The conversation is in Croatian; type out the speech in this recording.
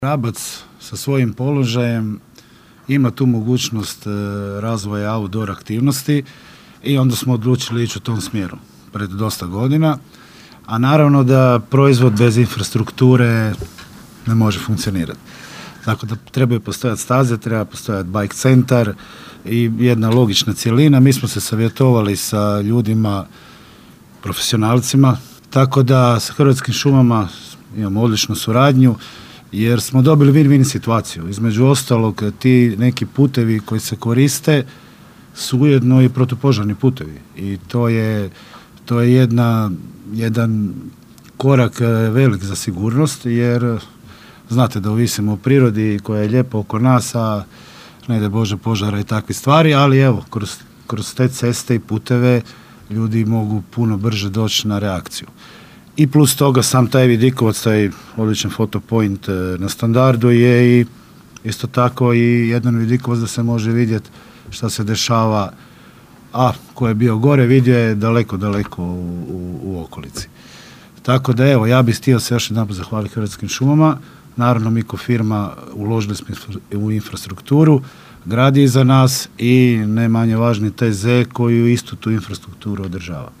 Rabac sa svojim položajem ima tu mogućnost razvoja outdoor aktivnosti i onda smo odlučili ići u tom smjeru pred dosta godina, a naravno da proizvod bez infrastrukture ne može funkcionirati. Tako da trebaju postojati staze, treba postojati bike centar i jedna logična cjelina. Mi smo se savjetovali sa ljudima, profesionalcima, tako da sa Hrvatskim šumama imamo odličnu suradnju, jer smo dobili win-win situaciju. Između ostalog, ti neki putevi koji se koriste su ujedno i protupožarni putevi. I to je jedan korak velik za sigurnost, jer znate da ovisimo o prirodi koja je lijepa oko nas, a ne da Bože požara i takve stvari, ali evo, kroz te ceste i puteve ljudi mogu puno brže doći na reakciju. I plus toga sam taj vidikovac, taj odličan fotopoint na Standardu je i isto tako i jedan vidikovac da se može vidjeti šta se dešava, a ko je bio gore vidio je daleko u okolici. Tako da evo, ja bih htio se još jedanput zahvaliti Hrvatskim šumama. Naravno, mi ko firma uložili smo u infrastrukturu, gradi iza nas i ne manje važni TZ koju istu tu infrastrukturu održava.